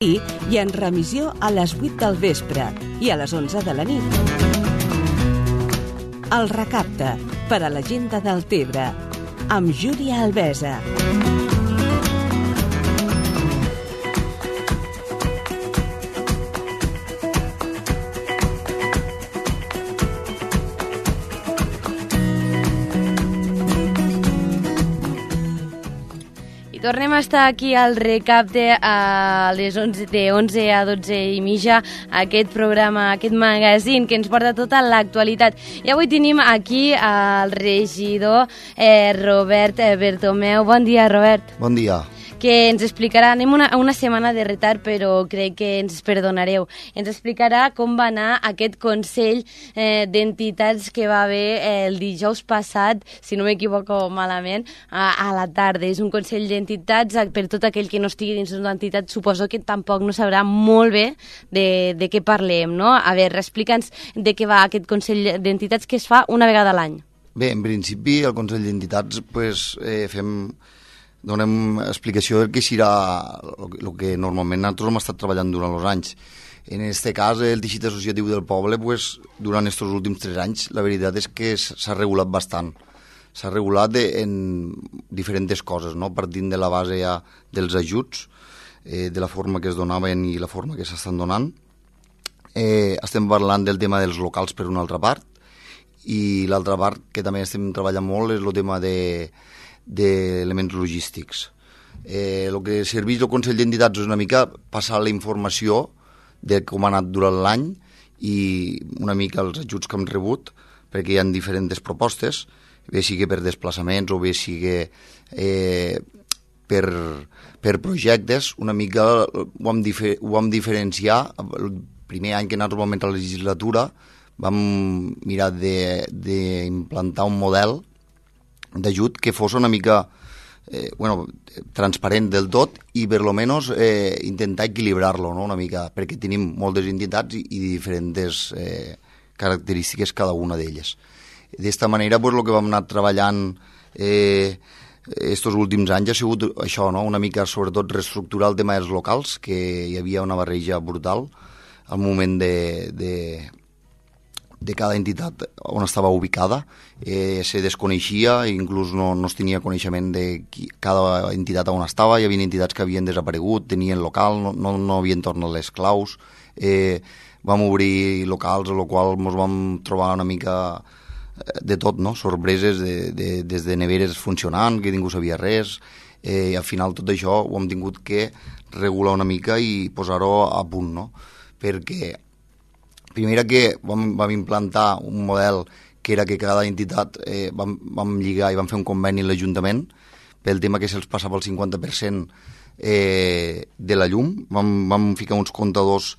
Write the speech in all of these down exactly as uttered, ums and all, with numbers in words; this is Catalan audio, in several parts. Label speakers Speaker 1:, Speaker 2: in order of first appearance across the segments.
Speaker 1: i en remissió a les vuit del vespre i a les onze de la nit. El Recapte, per a la gent de Deltebre, amb Júlia Albesa.
Speaker 2: Tornem a estar aquí al Recapte a les onze, de onze a dotze i mitja, aquest programa, aquest magazín que ens porta tota l'actualitat. I avui tenim aquí el regidor eh, Robert Bertomeu. Bon dia, Robert.
Speaker 3: Bon dia.
Speaker 2: Que ens explicarà, anem una, una setmana de retard, però crec que ens perdonareu. Ens explicarà com va anar aquest Consell eh, d'Entitats que va haver eh, el dijous passat, si no m'equivoco malament, a, a la tarda. És un Consell d'Entitats, per tot aquell que no estigui dins d'una entitat, suposo que tampoc no sabrà molt bé de, de què parlem, no? A veure, explica'ns de què va aquest Consell d'Entitats que es fa una vegada a l'any.
Speaker 3: Bé, en principi, el Consell d'Entitats pues, eh, fem... donem explicació del que serà el que normalment nosaltres hem estat treballant durant els anys. En aquest cas, el teixit associatiu del poble, pues, durant aquests últims tres anys, la veritat és que s'ha regulat bastant. S'ha regulat en diferents coses, no? Partint de la base ja dels ajuts, eh, de la forma que es donaven i la forma que s'estan donant. Eh, estem parlant del tema dels locals per una altra part, i l'altra part que també estem treballant molt és el tema de d'elements logístics. Eh, el que serveix el Consell d'Entitats és una mica passar la informació de com ha anat durant l'any i una mica els ajuts que hem rebut, perquè hi ha diferents propostes, bé sigui per desplaçaments o bé sigui eh, per, per projectes. Una mica ho vam, difer ho vam diferenciar. El primer any que nosaltres vam entrar a la legislatura vam mirar d'implantar un model d'ajut que fos una mica eh, bueno, transparent del tot i per lo menos eh, intentar equilibrar-lo, no? Una mica, perquè tenim moltes entitats i, i diferents eh, característiques cada una d'elles. D'esta manera, pues, el que vam anar treballant eh, estos últims anys ha sigut això, no? Una mica sobretot reestructurar el tema dels locals, que hi havia una barreja brutal al moment de... de de cada entitat on estava ubicada, eh, se desconeixia, inclús no, no es tenia coneixement de qui, cada entitat on estava. Hi havia entitats que havien desaparegut, tenien local, no, no, no havien tornat les claus, eh, vam obrir locals, a lo qual ens vam trobar una mica de tot, no? Sorpreses, de, de, des de neveres funcionant, que ningú sabia res, eh, i al final tot això ho hem tingut que regular una mica i posar-ho a punt, no? Perquè primera que vam, vam implantar un model que era que cada entitat eh, vam, vam lligar i vam fer un conveni amb l'Ajuntament pel tema que se'ls passava el cinquanta per cent eh, de la llum. Vam, vam ficar uns comptadors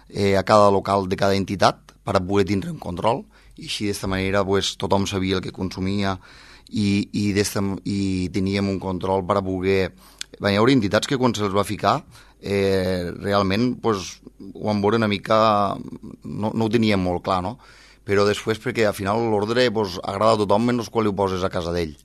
Speaker 3: eh, a cada local de cada entitat per a poder tindre un control i així d'esta manera pues, tothom sabia el que consumia i, i, i teníem un control per a poder... Bé, hi haurà entitats que quan se'ls va ficar eh, realment pues, ho vam veure una mica, no, no ho teníem molt clar, no? Però després perquè al final l'ordre pues, agrada a tothom menys quan ho poses a casa d'ell.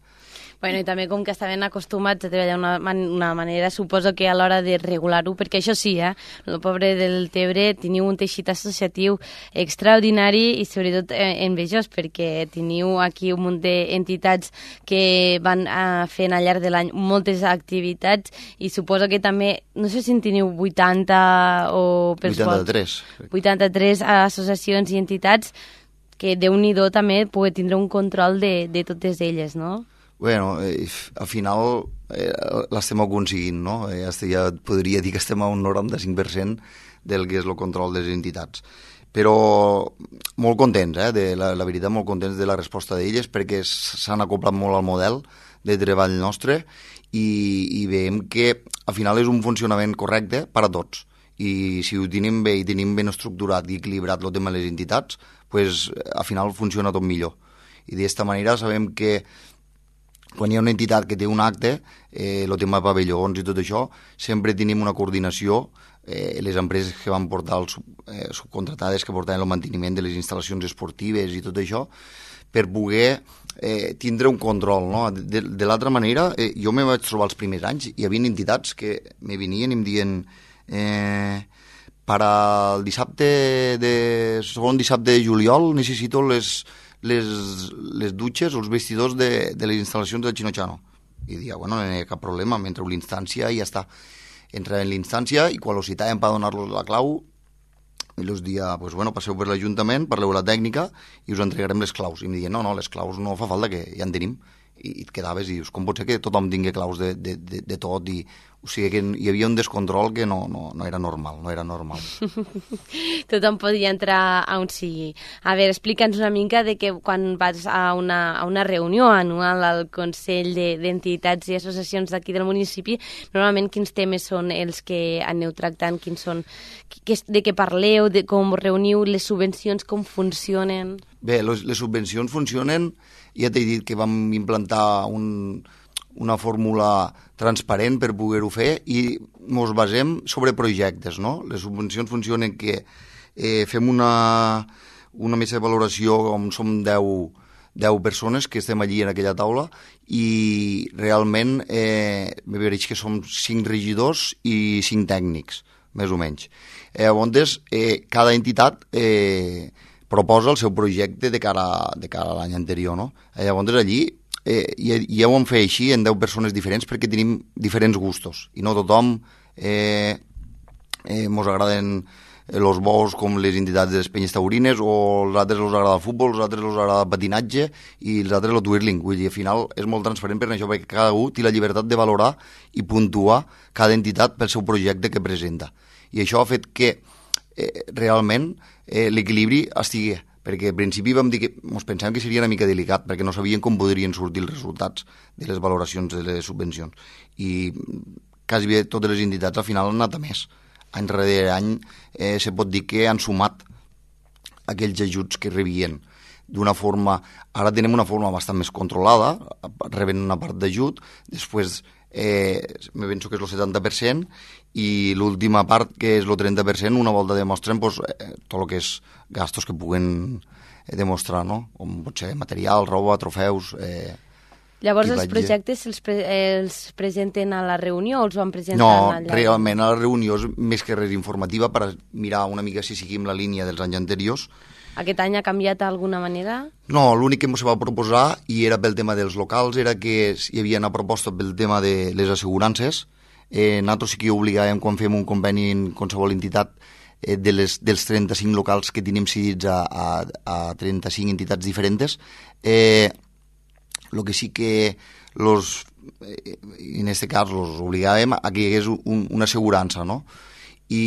Speaker 2: Bueno, i també com que estaven acostumats a treballar d'una man una manera, suposo que a l'hora de regular-ho, perquè això sí, eh, el poble del Tebre teniu un teixit associatiu extraordinari i sobretot eh, envejós, perquè teniu aquí un munt d'entitats que van eh, fent al llarg de l'any moltes activitats i suposo que també, no sé si en teniu vuitanta o...
Speaker 3: vuitanta-tres.
Speaker 2: vuitanta-tres associacions i entitats que Déu-n'hi-do també poder tindre un control de, de totes elles, no?
Speaker 3: Bueno, eh, al final eh, l'estem aconseguint, no? Eh, ja podria dir que estem a un noranta-cinc per cent del que és el control de les entitats. Però molt contents, eh? De la, la veritat, molt contents de la resposta d'elles perquè s'han acoplat molt al model de treball nostre i, i veiem que al final és un funcionament correcte per a tots. I si ho tenim bé i tenim ben estructurat i equilibrat el tema de les entitats, pues, al final funciona tot millor. I d'esta manera sabem que quan hi ha una entitat que té un acte, eh, el tema de pavellons i tot això, sempre tenim una coordinació, eh, les empreses que van portar els eh, subcontratades que portaven el manteniment de les instal·lacions esportives i tot això, per poder eh, tindre un control, no? De, de l'altra manera, eh, jo me vaig trobar els primers anys, hi havia entitats que me venien i em diuen Eh, per al dissabte de, segon dissabte de juliol necessito les, les, les dutxes o els vestidors de, de les instal·lacions del Chinochano. I dia, bueno, no hi ha cap problema, m'entreu l'instància i ja està. Entra en l'instància i quan els citàvem per donar-los la clau, i els dia, pues, bueno, passeu per l'Ajuntament, parleu la tècnica i us entregarem les claus. I em diuen, no, no, les claus no fa falta, que ja en tenim. I, i et quedaves i dius, com pot ser que tothom tingui claus de, de, de, de tot? I, o sigui que hi havia un descontrol que no, no, no era normal, no era normal.
Speaker 2: Tothom podia entrar a on sigui. A veure, explica'ns una mica de que quan vas a una, a una reunió anual al Consell d'Entitats i Associacions d'aquí del municipi, normalment quins temes són els que aneu tractant, quins són, que, de què parleu, de com reuniu les subvencions, com funcionen?
Speaker 3: Bé, les, les subvencions funcionen, ja t'he dit que vam implantar un, una fórmula transparent per poder-ho fer i ens basem sobre projectes, no? Les subvencions funcionen que eh, fem una, una mesa de valoració on som deu, deu persones que estem allí en aquella taula i realment eh, me veig que som cinc regidors i cinc tècnics, més o menys. Eh, llavors, eh, cada entitat eh, proposa el seu projecte de cara, de cara a l'any anterior, no? Eh, llavors, allí eh, ja, ja ho hem fet així en deu persones diferents perquè tenim diferents gustos i no tothom eh, eh, mos agraden els bous com les entitats de les penyes taurines, o els altres els agrada el futbol, els altres els agrada el patinatge i els altres el twirling. Vull dir, al final és molt transparent per això, perquè cada un té la llibertat de valorar i puntuar cada entitat pel seu projecte que presenta. I això ha fet que eh, realment eh, l'equilibri estigui, perquè al principi vam dir que ens pensàvem que seria una mica delicat, perquè no sabien com podrien sortir els resultats de les valoracions de les subvencions. I quasi bé totes les entitats al final han anat a més. Any darrere any eh, se pot dir que han sumat aquells ajuts que rebien d'una forma... Ara tenem una forma bastant més controlada, reben una part d'ajut, després eh, me penso que és el setanta per cent, i l'última part, que és el trenta per cent, una volta demostren pues, eh, tot el que és gastos que puguen eh, demostrar, no? Com pot ser material, roba, trofeus... Eh,
Speaker 2: Llavors els projectes els, pre els presenten a la reunió o els van presentar
Speaker 3: no,
Speaker 2: allà? No,
Speaker 3: realment a la reunió és més que res informativa per mirar una mica si seguim la línia dels anys anteriors.
Speaker 2: Aquest any ha canviat d'alguna manera?
Speaker 3: No, l'únic que ens va proposar, i era pel tema dels locals, era que hi havia una proposta pel tema de les assegurances. Eh, nosaltres sí que obligàvem, quan fem un conveni en qualsevol entitat, eh, de les, dels trenta-cinc locals que tenim cedits a, a, a trenta-cinc entitats diferents, eh, el que sí que los, eh, en aquest cas los obligàvem a que hi hagués un, una assegurança, no? I,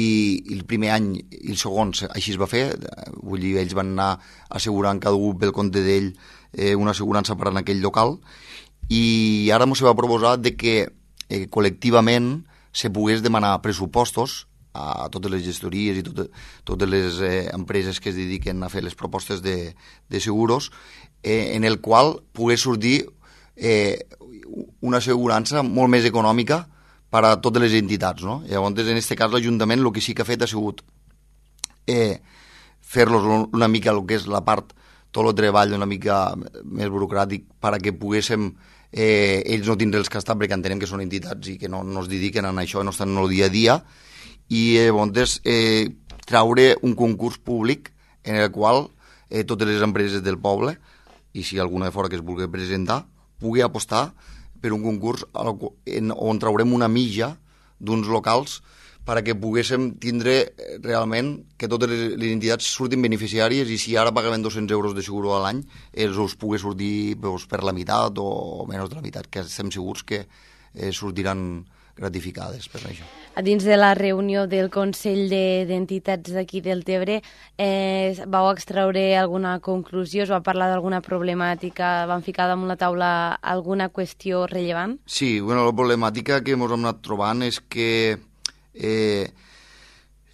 Speaker 3: i el primer any i el segon així es va fer, vull dir, ells van anar assegurant cada un pel compte d'ell eh, una assegurança per en aquell local, i ara ens va proposar de que eh, col·lectivament se pogués demanar pressupostos a totes les gestories i tot, totes les eh, empreses que es dediquen a fer les propostes de, de seguros, eh, en el qual pogués sortir eh, una assegurança molt més econòmica per a totes les entitats, no? Llavors, en aquest cas, l'Ajuntament el que sí que ha fet ha sigut eh, fer-los una mica el que és la part, tot el treball una mica més burocràtic per a que poguéssim eh, ells no tindre els que estar, perquè entenem que són entitats i que no, no es dediquen a això, no estan en el dia a dia, i eh, llavors eh, traure un concurs públic en el qual eh, totes les empreses del poble, i si alguna de fora que es vulgui presentar, pugui apostar per un concurs on traurem una mitja d'uns locals perquè poguéssim tindre realment que totes les entitats surtin beneficiàries, i si ara pagaven dos-cents euros de seguro a l'any, els us pugui sortir doncs, per la meitat o menys de la meitat, que estem segurs que eh, sortiran gratificades per això.
Speaker 2: A dins de la reunió del Consell d'Entitats d'aquí del Tebre, eh, vau extraure alguna conclusió, es va parlar d'alguna problemàtica, van ficar damunt la taula alguna qüestió rellevant?
Speaker 3: Sí, bueno, la problemàtica que ens hem anat trobant és que eh,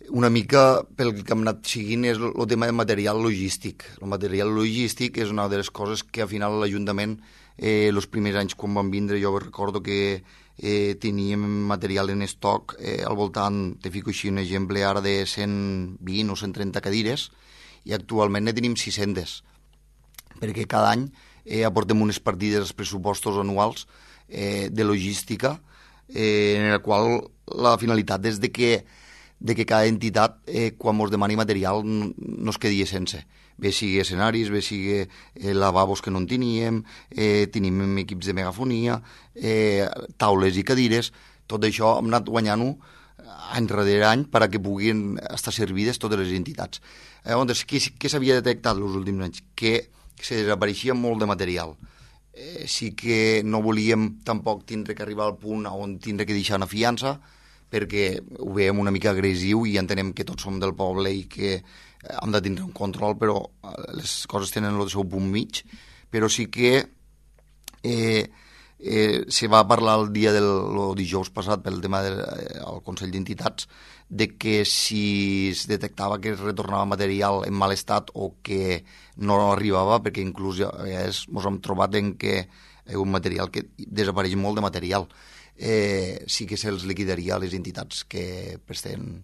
Speaker 3: una mica pel que hem anat seguint és el tema de material logístic. El material logístic és una de les coses que al final l'Ajuntament, eh, els primers anys quan van vindre, jo recordo que eh, teníem material en estoc eh, al voltant, te fico així un exemple ara, de cent vint o cent trenta cadires, i actualment ne tenim sis-centes, perquè cada any eh, aportem unes partides als pressupostos anuals eh, de logística, eh, en el qual la finalitat és de que de que cada entitat, eh, quan ens demani material, no, no es quedi sense. Bé sigui escenaris, bé sigui eh, lavabos que no en teníem, eh, tenim equips de megafonia, eh, taules i cadires, tot això hem anat guanyant-ho any darrere any perquè puguin estar servides totes les entitats. Llavors, què, què s'havia detectat els últims anys? Que se desapareixia molt de material. Eh, sí que no volíem tampoc tindre que arribar al punt on tindre que deixar una fiança, perquè ho veiem una mica agressiu i entenem que tots som del poble i que hem de tindre un control, però les coses tenen el seu punt mig. Però sí que eh, eh, se va parlar el dia del el dijous passat pel tema del eh, Consell d'Entitats de que si es detectava que es retornava material en mal estat o que no arribava, perquè inclús ja, a vegades ens hem trobat en que hi ha un material que desapareix molt de material. Eh, sí que se'ls liquidaria a les entitats que presten,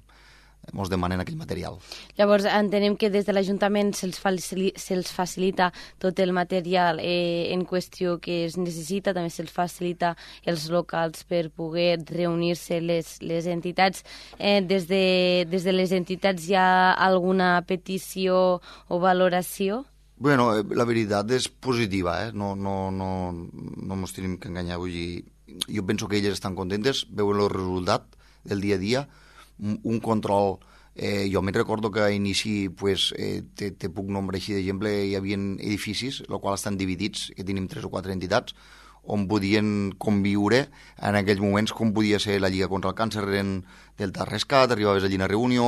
Speaker 3: ens demanen aquell material.
Speaker 2: Llavors, entenem que des de l'Ajuntament se'ls facili, se facilita tot el material eh, en qüestió que es necessita, també se'ls facilita els locals per poder reunir-se les, les entitats. Eh, des, de, des de les entitats hi ha alguna petició o valoració?
Speaker 3: Bueno, la veritat és positiva, eh? no, no, no, no ens tenim que enganyar. Vull dir, jo penso que elles estan contentes, veuen el resultat del dia a dia, un control. Eh, jo me'n recordo que a inici, pues, eh, te, te puc nombrar així d'exemple, hi havia edificis, els quals estan dividits, que tenim tres o quatre entitats, on podien conviure en aquells moments com podia ser la Lliga contra el Càncer en Delta Rescat, arribaves allí a una reunió,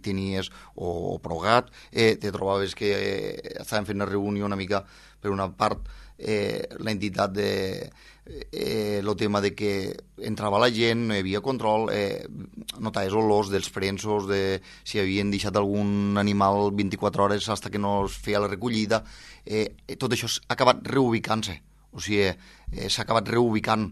Speaker 3: tenies, o, o Progat, eh, te trobaves que eh, estaven fent una reunió una mica per una part, eh, l'entitat de eh, el tema de que entrava la gent, no hi havia control, eh, notaves olors dels prensos, de si havien deixat algun animal vint-i-quatre hores fins que no es feia la recollida, eh, tot això ha acabat reubicant-se. O sigui, eh, s'ha acabat reubicant.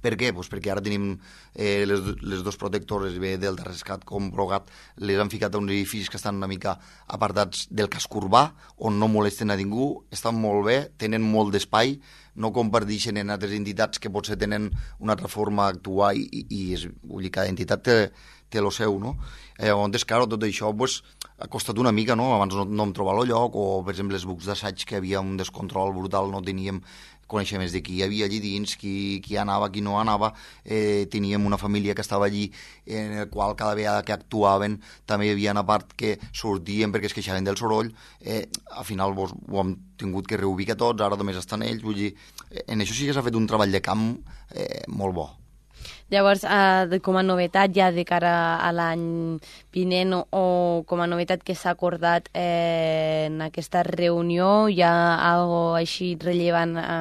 Speaker 3: Per què? Pues perquè ara tenim eh, les, les dos protectores, bé del Rescat com Progat, les han ficat a uns edificis que estan una mica apartats del casc urbà, on no molesten a ningú, estan molt bé, tenen molt d'espai, no comparteixen en altres entitats que potser tenen una altra forma d'actuar i, i, i és, vull dir, cada entitat té, té el seu, no? Eh, llavors, clar, tot això pues, ha costat una mica, no? Abans no, no em trobava el lloc, o, per exemple, els bucs d'assaig, que havia un descontrol brutal, no teníem coneixements de qui hi havia allí dins, qui, qui anava, qui no anava, eh, teníem una família que estava allí, en el qual cada vegada que actuaven també hi havia una part que sortien perquè es queixaven del soroll, eh, al final vos, ho hem tingut que reubicar tots, ara només estan ells, vull dir, en això sí que s'ha fet un treball de camp eh, molt bo.
Speaker 2: Llavors, eh, com a novetat ja de cara a l'any vinent o, o com a novetat que s'ha acordat eh, en aquesta reunió, hi ha algo així rellevant a,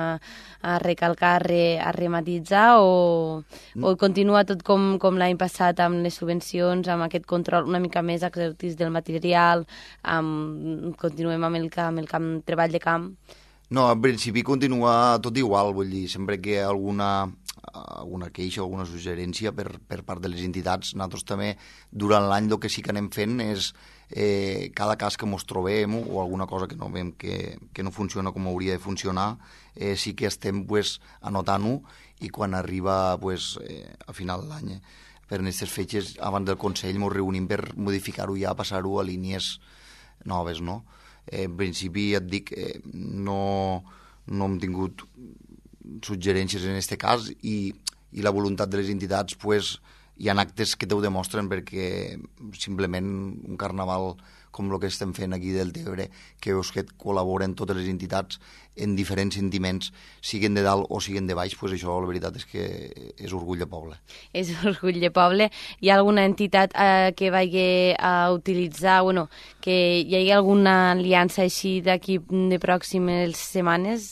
Speaker 2: a recalcar, a, re, a rematitzar o, o continua tot com, com l'any passat amb les subvencions, amb aquest control una mica més exhaustiu del material, amb, continuem amb el, amb el camp, treball de camp?
Speaker 3: No, en principi continua tot igual, vull dir, sempre que alguna alguna queixa o alguna suggerència per, per part de les entitats. Nosaltres també, durant l'any, el que sí que anem fent és eh, cada cas que ens trobem o alguna cosa que no veiem que, que no funciona com hauria de funcionar, eh, sí que estem pues, anotant-ho i quan arriba pues, eh, a final de l'any, eh, per aquestes fetges, abans del Consell, ens reunim per modificar-ho ja, passar-ho a línies noves, no? Eh, en principi, ja et dic, eh, no, no hem tingut suggerències en aquest cas i, i la voluntat de les entitats pues, hi ha actes que t'ho demostren perquè simplement un carnaval com el que estem fent aquí del Tebre, que veus que col·laboren totes les entitats en diferents sentiments, siguen de dalt o siguen de baix, pues això la veritat és que és orgull de poble.
Speaker 2: És orgull de poble. Hi ha alguna entitat eh, que vagi a utilitzar, bueno, que hi hagi alguna aliança així d'aquí de pròximes setmanes?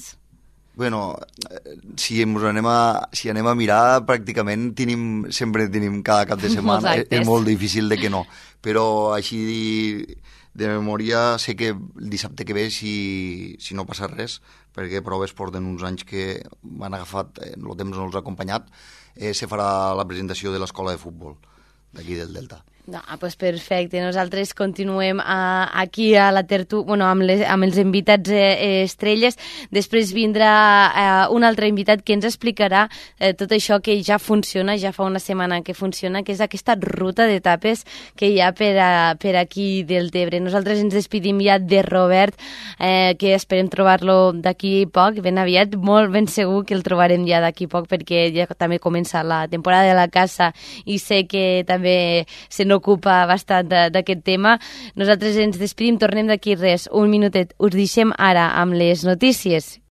Speaker 3: Bueno, si ens anem a, si anem a mirar, pràcticament tenim, sempre tenim cada cap de setmana, és, és molt difícil de que no. Però així de memòria sé que el dissabte que ve, si, si no passa res, perquè proves porten uns anys que m'han agafat, el temps no els ha acompanyat, eh, se farà la presentació de l'escola de futbol d'aquí del Delta.
Speaker 2: No, pues perfecte. Nosaltres continuem a, aquí a la tertúlia, bueno, amb, les, amb els invitats eh, estrelles. Després vindrà eh, un altre invitat que ens explicarà eh, tot això que ja funciona, ja fa una setmana que funciona, que és aquesta ruta d'etapes que hi ha per, a, per aquí del Tebre. Nosaltres ens despedim ja de Robert, eh, que esperem trobar-lo d'aquí poc, ben aviat, molt ben segur que el trobarem ja d'aquí poc, perquè ja també comença la temporada de la caça i sé que també se n'ocupa bastant d'aquest tema. Nosaltres ens despedim, tornem d'aquí res, un minutet. Us deixem ara amb les notícies.